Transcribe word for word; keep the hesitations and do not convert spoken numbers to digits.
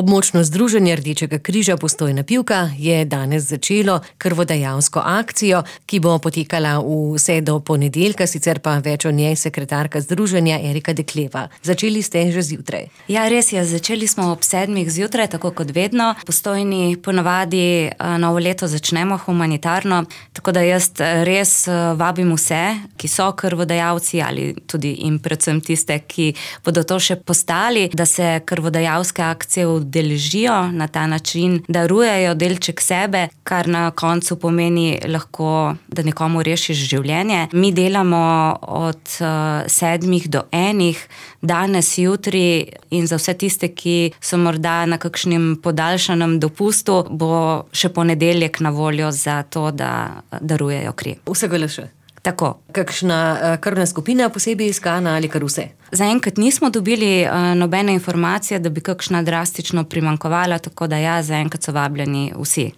Območno združenje Rdečega križa Postojna Pivka je danes začelo krvodajalsko akcijo, ki bo potekala vse do ponedeljka, sicer pa več o njej sekretarka združenja Erika Dekleva. Začeli ste že zjutraj. Ja, res je, začeli smo ob sedmih zjutraj, tako kot vedno. Postojni ponavadi novo leto začnemo humanitarno, tako da jaz res vabim vse, ki so krvodajalci ali tudi in predvsem tiste, ki bodo to še postali, da se krvodajalske akcije udeležijo na ta način, darujejo delček sebe, kar na koncu pomeni lahko, da nekomu rešiš življenje. Mi delamo od uh, sedmih do enih, danes, jutri, in za vse tiste, ki so morda na kakšnem podaljšanem dopustu, bo še ponedeljek na voljo za to, da darujejo kri. Vsega le še. Tako. Kakšna krvna skupina posebej iskana ali kar vse? Zaenkrat nismo dobili uh, nobene informacije, da bi kakšna drastično primanjkovala, tako da ja, zaenkrat so vabljeni vsi.